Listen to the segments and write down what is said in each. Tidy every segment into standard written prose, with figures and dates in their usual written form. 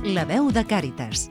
La veu de Càritas.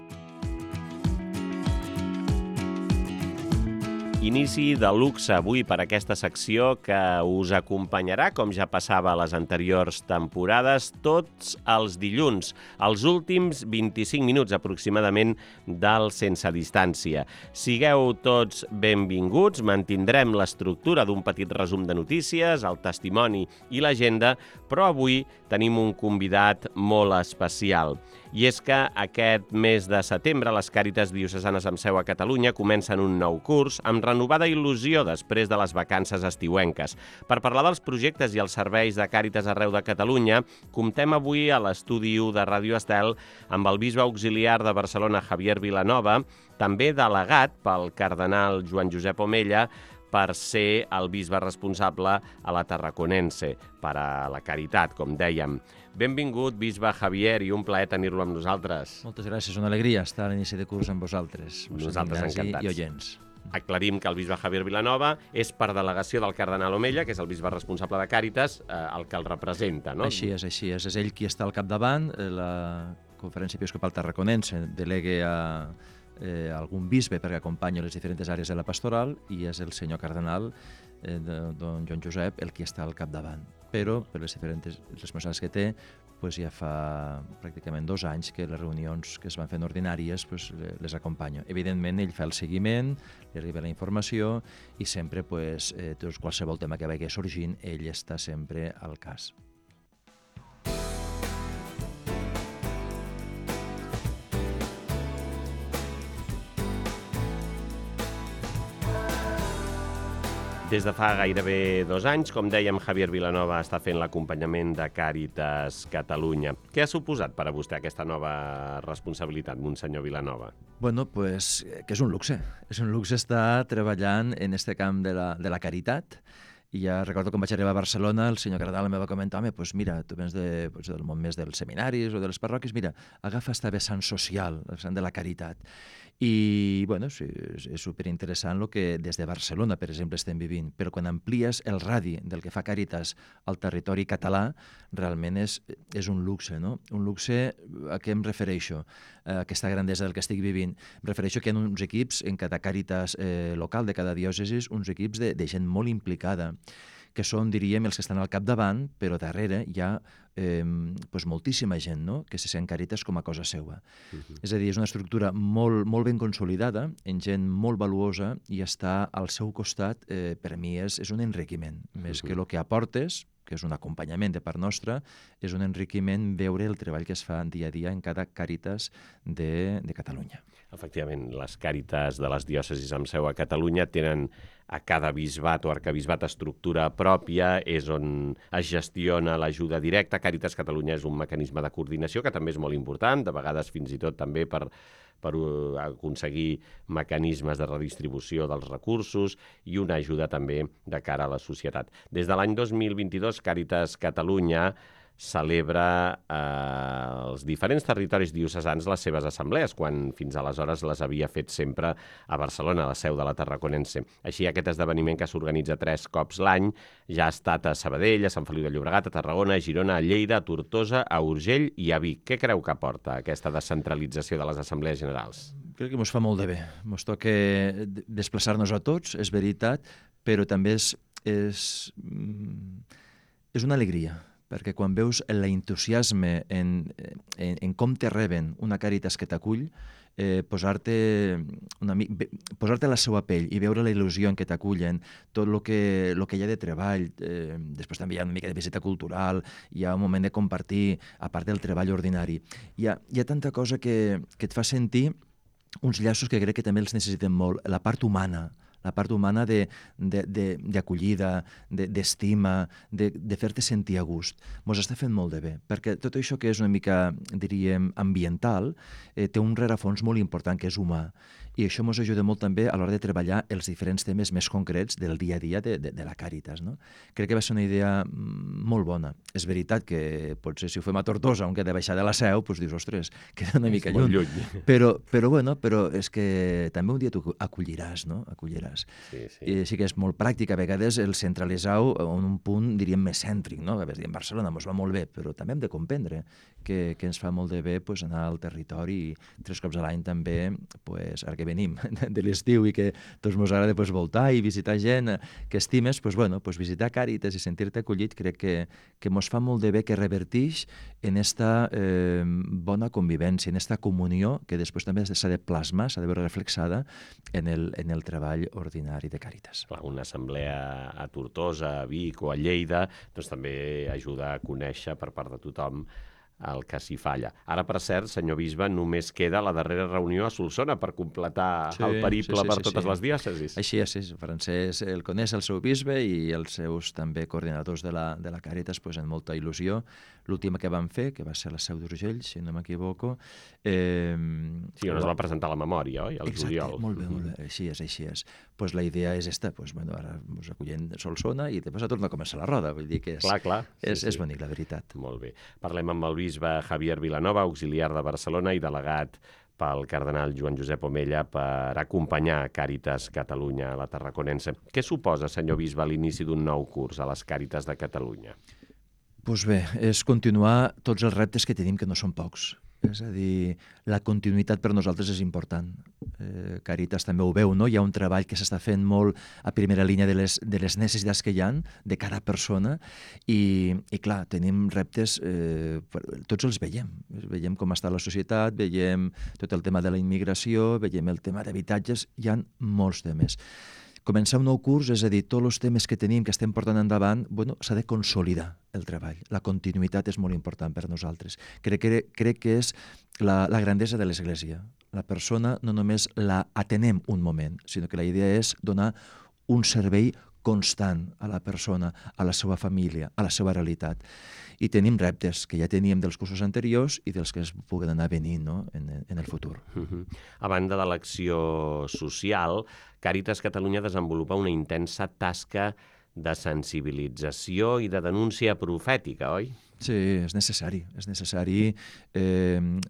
Inici de luxe avui per aquesta secció que us acompanyarà, com ja passava a les anteriors temporades, tots els dilluns, els últims 25 minuts aproximadament del Sense Distància. Sigueu tots benvinguts, mantindrem l'estructura d'un petit resum de notícies, el testimoni i l'agenda, però avui tenim un convidat molt especial. I és que aquest mes de setembre les Càritas Diocesanes amb seu a Catalunya comencen un nou curs amb renovada il·lusió després de les vacances estiuenques. Per parlar dels projectes i els serveis de Càritas arreu de Catalunya, comptem avui a l'estudi 1 de Ràdio Estel amb el bisbe auxiliar de Barcelona, Javier Vilanova, també delegat pel cardenal Joan Josep Omella, per ser el bisbe responsable a la Tarraconense, per a la Caritat, com dèiem. Benvingut, bisbe Javier, i un plaer tenir-lo amb nosaltres. Moltes gràcies, una alegria estar a l'inici de curs amb vosaltres. Nosaltres encantats. I oients. Aclarim que el bisbe Javier Vilanova és per delegació del cardenal Omella, que és el bisbe responsable de Càritas, el que el representa, no? Així és. És ell qui està al capdavant. La Conferència Episcopal Tarraconense delega algun bisbe perquè acompanyi les diferents àrees de la pastoral i és el senyor cardenal, don Joan Josep, el qui està al capdavant. Però, per les diferents responsabilitats que té, ja fa pràcticament 2 anys que les reunions que es van fent ordinàries les acompanyo. Evidentment, ell fa el seguiment, li arriba la informació i sempre, qualsevol tema que vagi sorgint, ell està sempre al cas. Des de fa gairebé 2 anys, com dèiem, Javier Vilanova està fent l'acompanyament de Càritas Catalunya. Què ha suposat per a vostè aquesta nova responsabilitat, Monsenyor Vilanova? Que és un luxe. És un luxe estar treballant en este camp de la caritat. I ja recordo quan vaig arribar a Barcelona, el senyor cardenal em va comentar: mira, tu vens del món més dels seminaris o de les parròquies, mira, agafa esta vessant social, la vessant de la caritat. I, sí, és superinteressant el que des de Barcelona, per exemple, estem vivint, però quan amplies el radi del que fa Càritas al territori català, realment és un luxe, no? Un luxe a què em refereixo, a aquesta grandesa del que estic vivint. Em refereixo que hi ha uns equips en cada Càritas local de cada diòcesi, uns equips de gent molt implicada, que són, diríem, els que estan al capdavant, però darrere hi ha moltíssima gent, no?, que se sent Càritas com a cosa seva. És a dir, és una estructura molt ben consolidada, en gent molt valuosa, i estar al seu costat, per a mi, és un enriquiment. Més que el que aportes, que és un acompanyament de part nostra, és un enriquiment veure el treball que es fa dia a dia en cada Càritas de Catalunya. Efectivament, les Càritas de les diòcesis amb seu a Catalunya tenen a cada bisbat o arquebisbat estructura pròpia, és on es gestiona l'ajuda directa. Càritas Catalunya és un mecanisme de coordinació que també és molt important, de vegades fins i tot també per aconseguir mecanismes de redistribució dels recursos i una ajuda també de cara a la societat. Des de l'any 2022, Càritas Catalunya celebra els diferents territoris diocesans les seves assemblees, quan fins aleshores les havia fet sempre a Barcelona, a la seu de la Tarraconense. Així, aquest esdeveniment, que s'organitza 3 cops l'any, ja ha estat a Sabadell, a Sant Feliu de Llobregat, a Tarragona, a Girona, a Lleida, a Tortosa, a Urgell i a Vic. Què creu que aporta aquesta descentralització de les assemblees generals? Crec que ens fa molt de bé. Ens toca desplaçar-nos a tots, és veritat, però també és una alegria, perquè quan veus l'entusiasme en com te reben una Càritas que t'acull, posar-te a la seva pell i veure la il·lusió en què t'acullen, tot el que hi ha de treball, després també hi ha una mica de visita cultural, hi ha un moment de compartir, a part del treball ordinari. Hi ha tanta cosa que et fa sentir uns llaços que crec que també els necessitem molt, la part humana d'acollida, d'estima, de fer-te sentir a gust. Ens està fent molt de bé, perquè tot això que és una mica, diríem, ambiental, té un rerefons molt important que és humà. i això ens ajuda molt també a l'hora de treballar els diferents temes més concrets del dia a dia de la Càritas. No? Crec que va ser una idea molt bona. És veritat que potser si ho fem a Tortosa, on queda baixar de la Seu, doncs dius, ostres, queda una mica lluny. Però és que també un dia tu acolliràs, no? Acolliràs. I sí que és molt pràctic, a vegades el centralitzar-ho en un punt, diríem, més cèntric, no? A vegades diem, Barcelona ens va molt bé, però també hem de comprendre que ens fa molt de bé anar al territori i 3 cops a l'any també, ara que venim de l'estiu i que tots ens agrada voltar i visitar gent que estimes, visitar Càritas i sentir-te acollit crec que ens fa molt de bé, que revertix en esta bona convivència, en esta comunió que després també s'ha de plasmar, s'ha de veure reflexada en el treball ordinari de Càritas. Una assemblea a Tortosa, a Vic o a Lleida doncs també ajuda a conèixer per part de tothom el que s'hi falla. Ara, per cert, senyor bisbe, només queda la darrera reunió a Solsona per completar el periple per totes les diòcesis. Així és, Francesc el coneix, el seu bisbe, i els seus també coordinadors de la Càritas amb molta il·lusió. L'última que van fer, que va ser la Seu d'Urgell, si no m'equivoco. Sí, on es va presentar la memòria, oi? El juliol. Exacte, molt bé, així és. La idea és esta, ara ens acollem Solsona i després torna a començar la roda, vull dir que és bonic, la veritat. Molt bé. Parlem amb el bisbe Javier Vilanova, auxiliar de Barcelona i delegat pel cardenal Joan Josep Omella per acompanyar Càritas Catalunya a la Tarraconense. Què suposa, senyor bisbe, l'inici d'un nou curs a les Càritas de Catalunya? Doncs bé, és continuar tots els reptes que tenim, que no són pocs. És a dir, la continuïtat per nosaltres és important. Càritas també ho veu, no? Hi ha un treball que s'està fent molt a primera línia de les necessitats que hi ha de cada persona i clar, tenim reptes, tots els veiem. Veiem com està la societat, veiem tot el tema de la immigració, veiem el tema d'habitatges, hi ha molts temes. Començar un nou curs, és a dir, tots els temes que tenim, que estem portant endavant, s'ha de consolidar el treball. La continuïtat és molt important per nosaltres. Crec que és la grandesa de l'Església. La persona no només la atenem un moment, sinó que la idea és donar un servei constant a la persona, a la seva família, a la seva realitat. I tenim reptes que ja teníem dels cursos anteriors i dels que es puguen anar venint, no? en el futur. A banda de l'acció social, Càritas Catalunya desenvolupa una intensa tasca de sensibilització i de denúncia profètica, oi? Sí, és necessari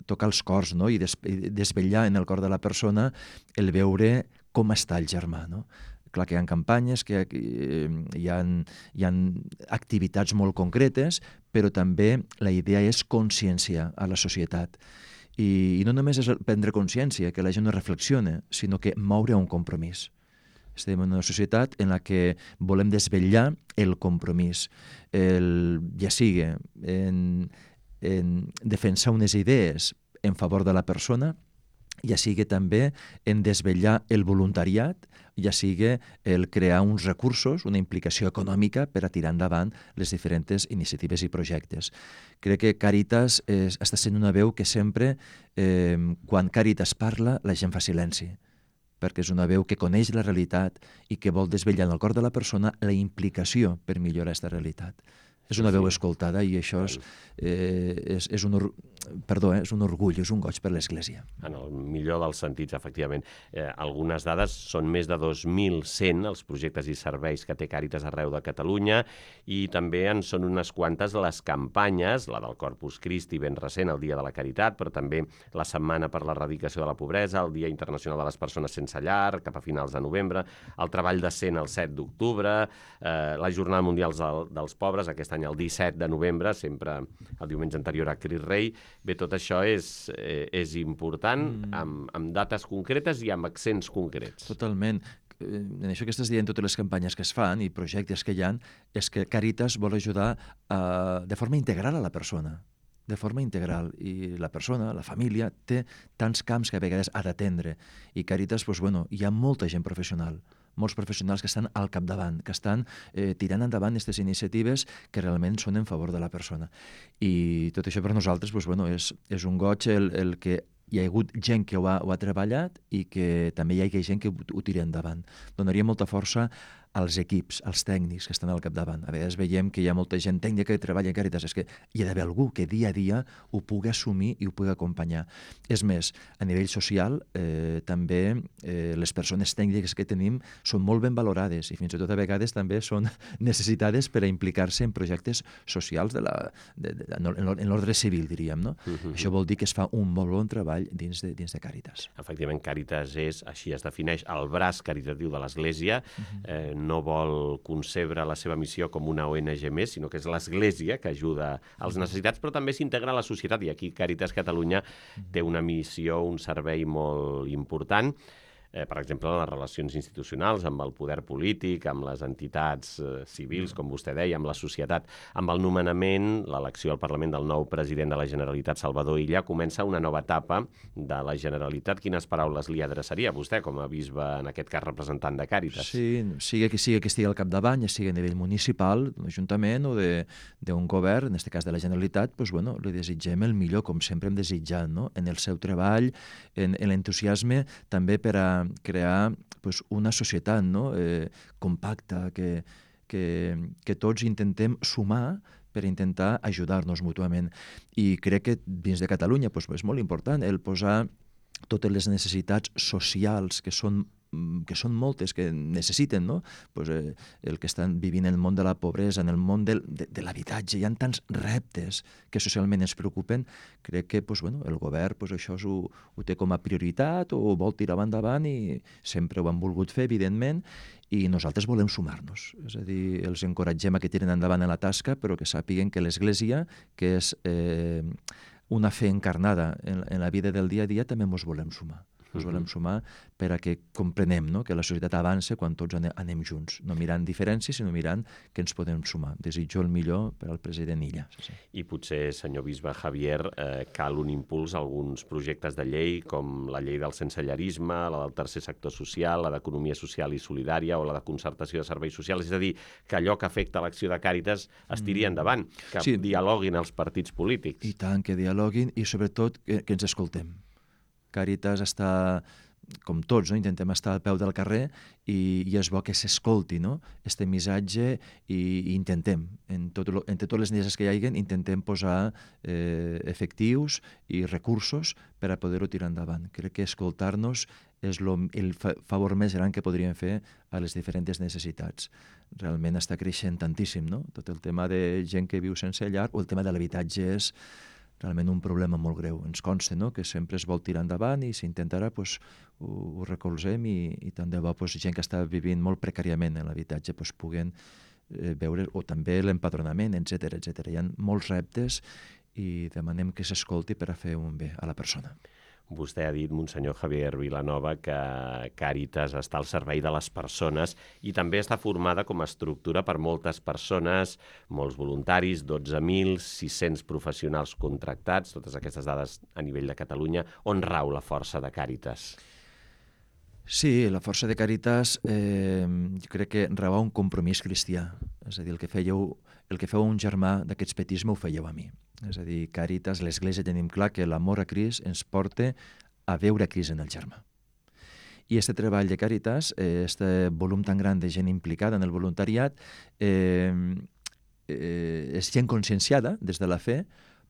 tocar els cors, no? I desvetllar en el cor de la persona el veure com està el germà, no? Clar que hi ha campanyes, que hi ha activitats molt concretes, però també la idea és conscienciar a la societat. I no només és prendre consciència, que la gent no reflexiona, sinó que moure un compromís. Estem en una societat en la que volem desvetllar el compromís, ja sigui en defensar unes idees en favor de la persona, ja sigui també en desvetllar el voluntariat, ja sigui el crear uns recursos, una implicació econòmica per a tirar endavant les diferents iniciatives i projectes. Crec que Càritas està sent una veu que sempre, quan Càritas parla, la gent fa silenci, perquè és una veu que coneix la realitat i que vol desvetllar en el cor de la persona la implicació per millorar aquesta realitat. És una veu escoltada i això és un orgull, és un goig per l'Església. En el millor dels sentits, efectivament. Algunes dades són més de 2.100 els projectes i serveis que té Càritas arreu de Catalunya i també en són unes quantes les campanyes, la del Corpus Christi ben recent, el Dia de la Caritat, però també la Setmana per l'Erradicació de la Pobresa, el Dia Internacional de les Persones Sense Llar, cap a finals de novembre, el Treball Decent el 7 d'octubre, la Jornada Mundial dels Pobres, aquest any el 17 de novembre, sempre el diumenge anterior a Crit Rei. Bé, tot això és important, amb dates concretes i amb accents concrets. Totalment. En això que estàs dient, totes les campanyes que es fan i projectes que hi ha, és que Càritas vol ajudar de forma integral a la persona. De forma integral. I la persona, la família, té tants camps que a vegades ha d'atendre. I Càritas, hi ha molta gent professional, molts professionals que estan al capdavant, que estan tirant endavant aquestes iniciatives que realment són en favor de la persona. I tot això per nosaltres és un goig el que hi ha hagut gent que ho ha treballat i que també hi ha gent que ho tira endavant. Donaria molta força als equips, als tècnics que estan al capdavant. A vegades veiem que hi ha molta gent tècnica que treballa en Càritas, és que hi ha d'haver algú que dia a dia ho pugui assumir i ho pugui acompanyar. És més, a nivell social, també les persones tècniques que tenim són molt ben valorades i fins i tot a vegades també són necessitades per a implicar-se en projectes socials en l'ordre civil, diríem. No? Això vol dir que es fa un molt bon treball dins de Càritas. Efectivament, Càritas és, així es defineix, el braç caritatiu de l'Església. No vol concebre la seva missió com una ONG més, sinó que és l'Església que ajuda als necessitats, però també s'integra a la societat. I aquí Càritas Catalunya té una missió, un servei molt important. Per exemple, les relacions institucionals amb el poder polític, amb les entitats civils, com vostè deia, amb la societat. Amb el nomenament, l'elecció al Parlament del nou president de la Generalitat, Salvador Illa, comença una nova etapa de la Generalitat. Quines paraules li adreçaria a vostè com a bisbe, en aquest cas representant de Càritas? Sí, sigui que estigui al capdavant, ja sigui a nivell municipal, d'un ajuntament o d'un govern, en aquest cas de la Generalitat, doncs, bueno, li desitgem el millor, com sempre hem desitjat, no? En el seu treball, en l'entusiasme, també per a crear pues, una societat, no? Compacta, que tots intentem sumar per intentar ajudar-nos mútuament. I crec que dins de Catalunya pues, és molt important el posar totes les necessitats socials que són moltes, que necessiten, no? Pues, el que estan vivint en el món de la pobresa, en el món de l'habitatge, hi ha tants reptes que socialment ens preocupen, crec que pues, bueno, el govern pues, això ho té com a prioritat o ho vol tirar endavant i sempre ho han volgut fer, evidentment, i nosaltres volem sumar-nos. És a dir, els encoratgem a que tiren endavant en la tasca, però que sàpiguen que l'Església, que és una fe encarnada en la vida del dia a dia, també ens volem sumar. Ens volem sumar per a que comprenem, no? Que la societat avança quan tots anem junts, no mirant diferències, sinó mirant que ens podem sumar. Desitjo el millor per al president Illa. Sí. I potser, senyor bisbe Javier, cal un impuls a alguns projectes de llei, com la llei del sensellarisme, la del tercer sector social, la d'economia social i solidària o la de concertació de serveis socials. És a dir, que allò que afecta l'acció de Càritas es tiri endavant, que dialoguin els partits polítics. I tant, que dialoguin i sobretot que ens escoltem. Càritas està, com tots, no? Intentem estar al peu del carrer i és bo que s'escolti, no? Este missatge i intentem, entre totes les necessitats que hi hagi, intentem posar efectius i recursos per a poder-ho tirar endavant. Crec que escoltar-nos és el favor més gran que podríem fer a les diferents necessitats. Realment està creixent tantíssim, no? Tot el tema de gent que viu sense llar o el tema de l'habitatge és realment un problema molt greu. Ens consta, no?, que sempre es vol tirar endavant i s'intentarà, pues, ho recolzem i tant de bo pues, gent que està vivint molt precàriament en l'habitatge pues, puguen veure, o també l'empadronament, etc. Hi ha molts reptes i demanem que s'escolti per a fer un bé a la persona. Vostè ha dit, Monsenyor Javier Vilanova, que Càritas està al servei de les persones i també està formada com a estructura per moltes persones, molts voluntaris, 12.600 professionals contractats, totes aquestes dades a nivell de Catalunya. On rau la força de Càritas? Sí, la força de Càritas jo crec que rau un compromís cristià. És a dir, el que feu un germà d'aquests petisme ho fèieu a mi. És a dir, Càritas, l'Església, tenim clar que l'amor a Crist ens porta a veure Crist en el germà. I aquest treball de Càritas, aquest volum tan gran de gent implicada en el voluntariat, és gent conscienciada des de la fe,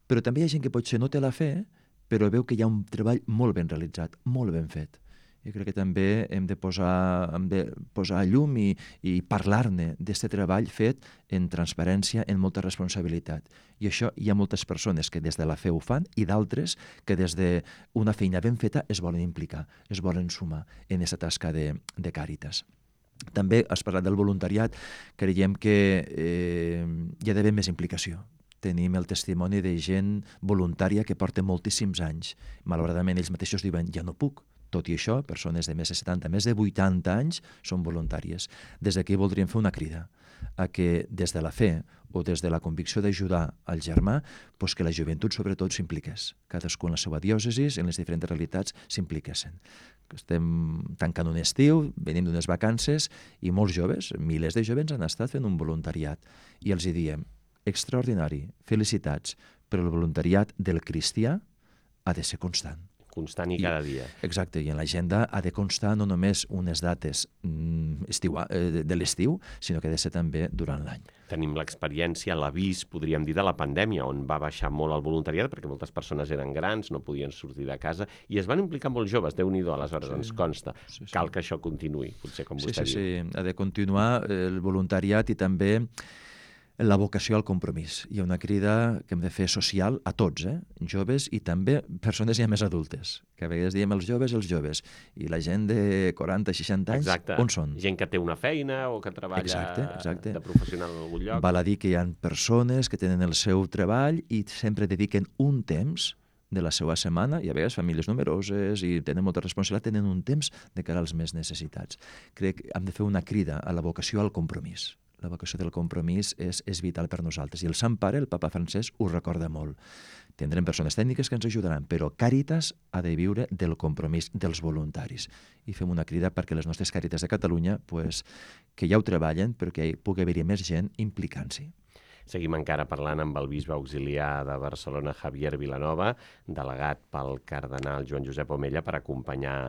però també hi ha gent que potser no té la fe, però veu que hi ha un treball molt ben realitzat, molt ben fet. Jo crec que també hem de posar a llum i parlar-ne d'aquest treball fet en transparència, en molta responsabilitat. I això hi ha moltes persones que des de la fe ho fan i d'altres que des d'una feina ben feta es volen implicar, es volen sumar en aquesta tasca de Càritas. També has parlat del voluntariat, creiem que hi ha d'haver més implicació. Tenim el testimoni de gent voluntària que porta moltíssims anys. Malauradament ells mateixos diuen, ja no puc. Tot i això, persones de més de 70, més de 80 anys són voluntàries. Des d'aquí voldríem fer una crida a que des de la fe o des de la convicció d'ajudar al germà, doncs que la joventut sobretot s'impliqués. Cadascú en la seva diòcesi, en les diferents realitats, s'impliquessin. Estem tancant un estiu, venim d'unes vacances i molts joves, milers de joves han estat fent un voluntariat. I els hi diem, extraordinari, felicitats, però el voluntariat del cristià ha de ser constant. Constant i cada dia. Exacte, i en l'agenda ha de constar no només unes dates de l'estiu, sinó que ha de ser també durant l'any. Tenim l'experiència, l'avís, podríem dir, de la pandèmia, on va baixar molt el voluntariat, perquè moltes persones eren grans, no podien sortir de casa, i es van implicar molts joves, Déu-n'hi-do, aleshores ens consta. Cal que això continuï, potser, com vostè diu. Sí, ha de continuar el voluntariat i també la vocació al compromís. Hi ha una crida que hem de fer social a tots, joves i també persones ja més adultes, que a vegades diem els joves, i la gent de 40, 60 anys, on són? Gent que té una feina o que treballa Exacte. de professional en algun lloc. Val a dir que hi ha persones que tenen el seu treball i sempre dediquen un temps de la seva setmana, i a vegades famílies numeroses i tenen molta responsabilitat, tenen un temps de cara als més necessitats. Crec que hem de fer una crida a la vocació al compromís. La vocació del compromís és vital per nosaltres. I el Sant Pare, el papa Francesc, ho recorda molt. Tindrem persones tècniques que ens ajudaran, però Càritas ha de viure del compromís dels voluntaris. I fem una crida perquè les nostres Càritas de Catalunya, que ja ho treballen, però que hi pugui haver-hi més gent implicant-s'hi. Seguim encara parlant amb el bisbe auxiliar de Barcelona, Javier Vilanova, delegat pel cardenal Joan Josep Omella per acompanyar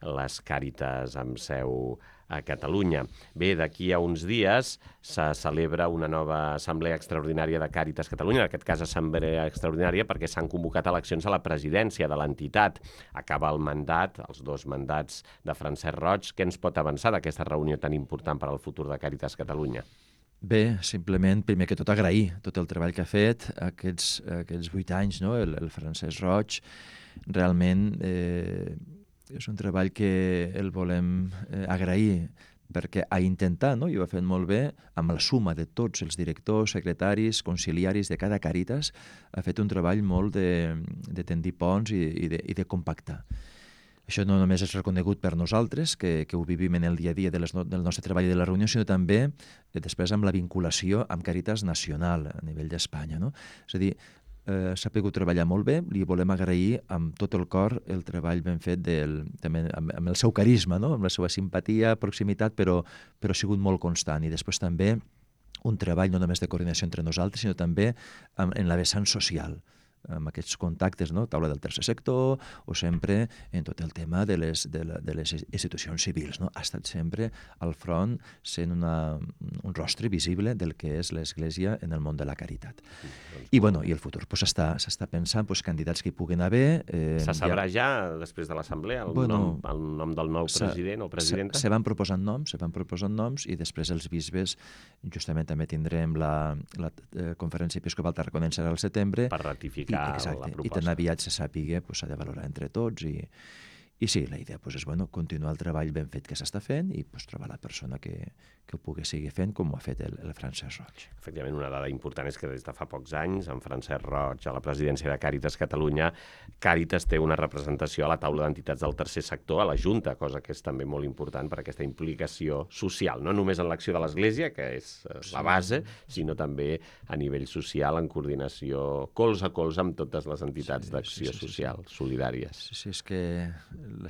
les Càritas amb seu a Catalunya. Bé, d'aquí a uns dies se celebra una nova assemblea extraordinària de Càritas Catalunya, en aquest cas assemblea extraordinària perquè s'han convocat eleccions a la presidència de l'entitat. Acaba el mandat, els 2 mandats de Francesc Roig. Què ens pot avançar d'aquesta reunió tan important per al futur de Càritas Catalunya? Bé, simplement, primer que tot, agrair tot el treball que ha fet aquests 8 anys, no? El Francesc Roig. Realment és un treball que el volem agrair perquè ha intentat, no? I ho ha fet molt bé, amb la suma de tots els directors, secretaris, conciliaris de cada Càritas, ha fet un treball molt de tendir ponts i de compactar. Això no només és reconegut per nosaltres, que ho vivim en el dia a dia del nostre treball i de la reunió, sinó també després amb la vinculació amb Càritas Nacional a nivell d'Espanya, no? És a dir, s'ha pogut treballar molt bé, li volem agrair amb tot el cor el treball ben fet també amb el seu carisma, no? Amb la seva simpatia, proximitat, però ha sigut molt constant. I després també un treball no només de coordinació entre nosaltres, sinó també en la vessant social, amb aquests contactes, no? Taula del tercer sector, o sempre en tot el tema de les institucions civils, no? Ha estat sempre al front sent un rostre visible del que és l'Església en el món de la caritat. I el futur, s'està pensant candidats que hi puguin haver. Se sabrà ja, després de l'assemblea, el nom del nou president o presidenta? Se van proposant noms i després els bisbes, justament també tindrem la conferència episcopal tarraconense al setembre. Per ratificar la proposta. I tan aviat se sàpiga, s'ha de valorar entre tots i sí, la idea és continuar el treball ben fet que s'està fent i trobar la persona que ho pugui seguir fent com ho ha fet el Francesc Roig. Efectivament, una dada important és que des de fa pocs anys, en Francesc Roig, a la presidència de Càritas Catalunya, Càritas té una representació a la taula d'entitats del tercer sector, a la Junta, cosa que és també molt important per aquesta implicació social, no només en l'acció de l'Església, que és la base, sinó també a nivell social, en coordinació colze a colze amb totes les entitats d'acció social, solidàries. Sí, és que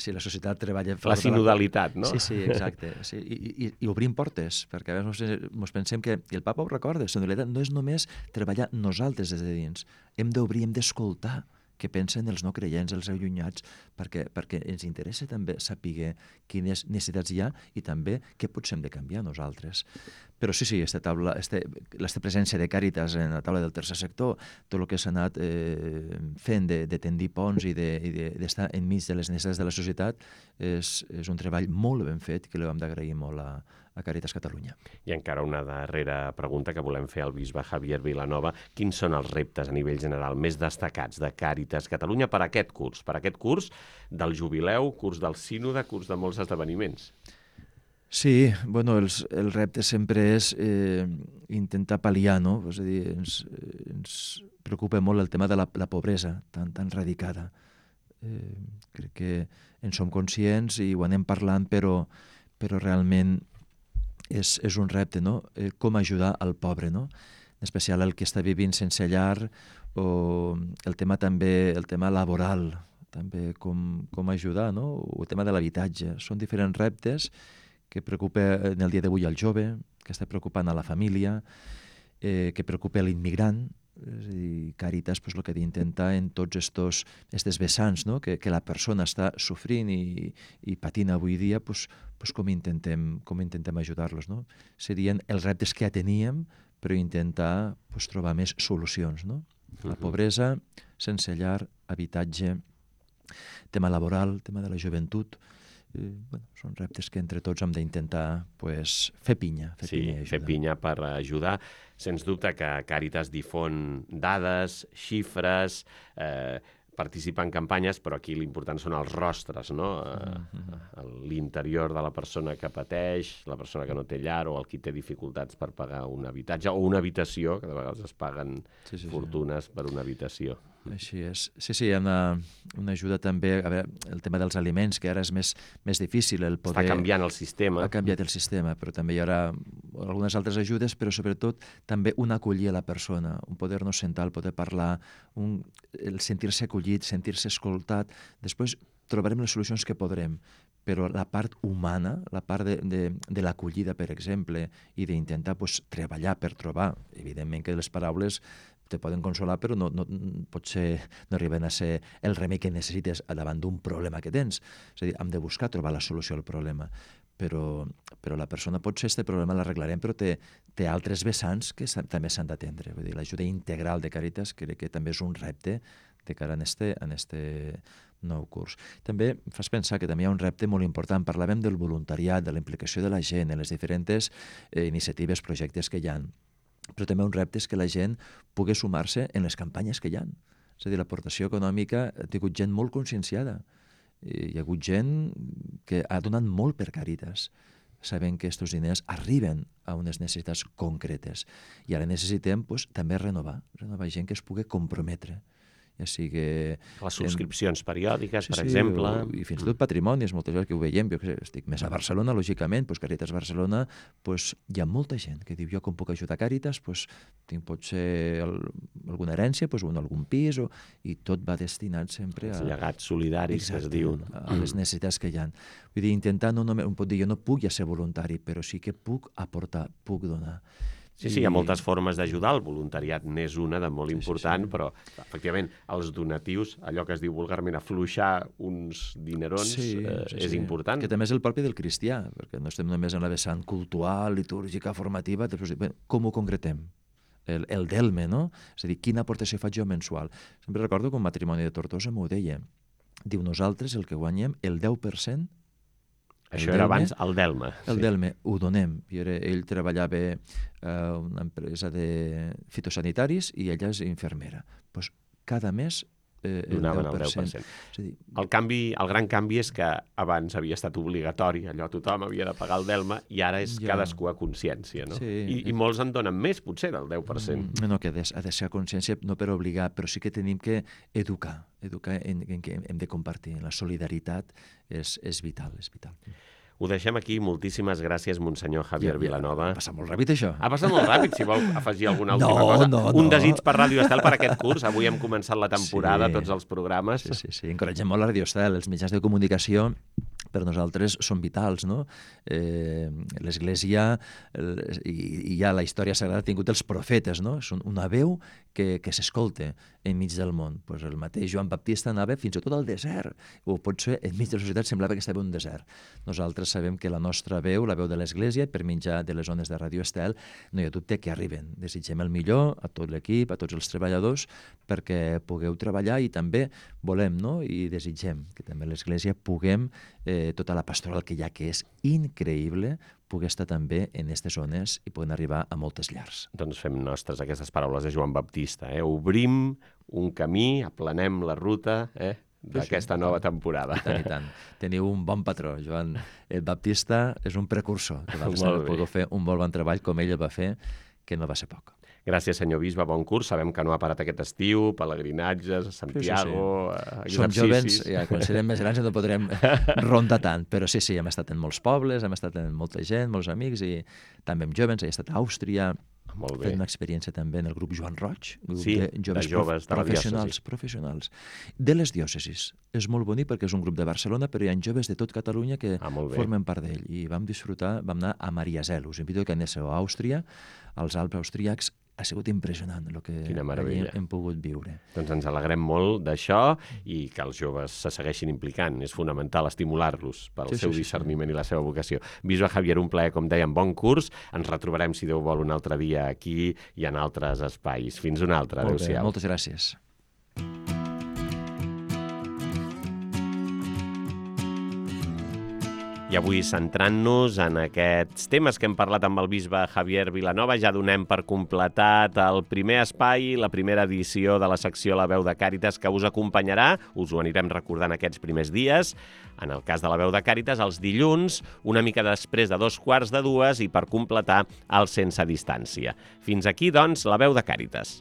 si la societat treballa... La sinodalitat, no? Sí, exacte. Sí, i obrim portes, perquè a vegades ens pensem que, i el papa ho recorda, la sinodalitat no és només treballar nosaltres des de dins, hem d'obrir, hem d'escoltar què pensen els no creients, els allunyats, perquè ens interessa també saber quines necessitats hi ha i també què potser hem de canviar nosaltres. Però sí, aquesta presència de Càritas en la taula del tercer sector, tot el que s'ha anat fent de tendir ponts i d'estar enmig de les necessitats de la societat és un treball molt ben fet que li hem d'agrair molt a Càritas Catalunya. I encara una darrera pregunta que volem fer al bisbe Javier Vilanova. Quins són els reptes a nivell general més destacats de Càritas Catalunya per aquest curs del jubileu, curs del sínode, curs de molts esdeveniments? Sí, el repte sempre és intentar pal·liar, no? És a dir, ens preocupa molt el tema de la pobresa tan radicada. Crec que en som conscients i ho anem parlant, però realment és un repte, no? Com ajudar al pobre, no? En especial el que està vivint sense llar, o el tema laboral, també com ajudar, no? O el tema de l'habitatge. Són diferents reptes que preocupa en el dia d'avui al jove, que està preocupant a la família, que preocupa l'immigrant, És a dir, Càritas el que intenta en tots estos vessants, no? que la persona està sofrint i patint avui dia, com intentem ajudar-los. No? Serien els reptes que ja teníem, però intentar trobar més solucions. No? La pobresa, sense llar, habitatge, tema laboral, tema de la joventut, són reptes que entre tots hem d'intentar fer pinya. Fer pinya per ajudar. Sens dubte que Càritas difon dades, xifres, participa en campanyes, però aquí l'important són els rostres, no? L'interior de la persona que pateix, la persona que no té llar o el qui té dificultats per pagar un habitatge o una habitació, que de vegades es paguen fortunes per una habitació. Així és. Sí, hi ha una ajuda també, a veure, el tema dels aliments, que ara és més difícil el poder... Està canviant el sistema. Ha canviat el sistema, però també hi haurà algunes altres ajudes, però sobretot també un acollir a la persona, un poder-nos sentar, el poder parlar, el sentir-se acollit, sentir-se escoltat. Després trobarem les solucions que podrem, però la part humana, la part de l'acollida, per exemple, i d'intentar treballar per trobar, evidentment que les paraules te poden consolar, però potser no arriben a ser el remei que necessites davant d'un problema que tens. És a dir, hem de buscar trobar la solució al problema. Però la persona, potser aquest problema l'arreglarem, però té altres vessants que també s'han d'atendre. Vull dir, l'ajuda integral de Càritas crec que també és un repte de cara a este nou curs. També em fas pensar que també hi ha un repte molt important. Parlàvem del voluntariat, de la implicació de la gent, en les diferents iniciatives, projectes que hi ha. Però també un repte és que la gent pugui sumar-se en les campanyes que hi ha. És a dir, l'aportació econòmica ha tingut gent molt conscienciada. Hi ha hagut gent que ha donat molt per Càritas, sabent que aquests diners arriben a unes necessitats concretes. I ara necessitem també renovar gent que es pugui comprometre. Ja sigui... Les subscripcions periòdiques, per exemple. I fins i tot patrimonis, moltes vegades que ho veiem. Jo estic més a Barcelona, lògicament, Càritas Barcelona, hi ha molta gent que diu, jo com puc ajudar Càritas, tinc potser alguna herència, algun pis, i tot va destinat sempre a... Els llegats solidaris, que es diuen. A les necessitats que hi ha. Vull dir, intentar no només... Pot dir, jo no puc ja ser voluntari, però sí que puc aportar, puc donar. Sí, hi ha moltes formes d'ajudar, el voluntariat n'és una de molt important, però efectivament els donatius, allò que es diu vulgarment afluixar uns dinerons, és important. Que també és el propi del cristià, perquè no estem només en la vessant cultural, litúrgica, formativa, com ho concretem? El delme, no? És a dir, quina aportació faig jo mensual? Sempre recordo que un matrimoni de Tortosa m'ho deia. Diu, nosaltres el que guanyem, el 10%. Això era abans el Delme. El Delme, ho donem. Ell treballava a una empresa de fitosanitaris i ella és infermera. Cada mes donaven el 10%. El gran canvi és que abans havia estat obligatori, allò tothom havia de pagar el Delme, i ara és cadascú a consciència, no? I molts en donen més, potser, del 10%. No, que ha de ser a consciència, no per obligar, però sí que tenim que educar en què hem de compartir. La solidaritat és vital, és vital. Ho deixem aquí. Moltíssimes gràcies, Monsenyor Javier Vilanova. Ha passat molt ràpid, això. Ha passat molt ràpid, si vol afegir alguna última cosa. Un desig per Ràdio Estel per aquest curs. Avui hem començat la temporada, tots els programes. Sí. Encoratgem molt la Ràdio Estel. Els mitjans de comunicació per nosaltres són vitals, no? L'Església i ja la història sagrada ha tingut els profetes, no? Són una veu que s'escolta enmig del món. El mateix Joan Baptista anava fins i tot al desert, o potser enmig de la societat semblava que estava en un desert. Nosaltres sabem que la nostra veu, la veu de l'Església, per mitjà de les ones de Ràdio Estel, no hi ha dubte que arriben. Desitgem el millor a tot l'equip, a tots els treballadors, perquè pugueu treballar, i també volem, no? I desitgem que també l'Església puguem, tota la pastoral que hi ha, que és increïble, pugui estar també en aquestes zones i puguin arribar a moltes llars. Doncs fem nostres aquestes paraules de Joan Baptista. Obrim un camí, aplanem la ruta d'aquesta nova temporada. I tant. Teniu un bon patró, Joan. El Baptista és un precursor, que va poder fer un molt bon treball com ell el va fer, que no va ser poc. Gràcies, senyor bisbe, bon curs. Sabem que no ha parat aquest estiu, pelegrinatges, Santiago, exercicis... Som jovens, quan serem més grans no podrem rondar tant, però sí, hem estat en molts pobles, hem estat en molta gent, molts amics, i també amb jovens, he estat a Àustria, fent una experiència també en el grup Joan Roig, grup de joves professionals de les diòcesis. És molt bonic perquè és un grup de Barcelona, però hi ha joves de tot Catalunya que formen part d'ell, i vam disfrutar, vam anar a Mariazell. Us invito que aneu a Àustria, als Alps austríacs, ha sigut impressionant el que meravella. hem pogut viure. Doncs ens alegrem molt d'això i que els joves se segueixin implicant. És fonamental estimular-los pel seu discerniment i la seva vocació. Bisbe Javier, un plaer, com dèiem, bon curs. Ens retrobarem, si Déu vol, un altre dia aquí i en altres espais. Fins un altre. Adéu-siau. Moltes gràcies. I avui, centrant-nos en aquests temes que hem parlat amb el bisbe Javier Vilanova, ja donem per completat el primer espai, la primera edició de la secció La Veu de Càritas, que us acompanyarà, us ho anirem recordant aquests primers dies, en el cas de La Veu de Càritas, els dilluns, una mica després de 2:15 i per completar el Sense Distància. Fins aquí, doncs, La Veu de Càritas.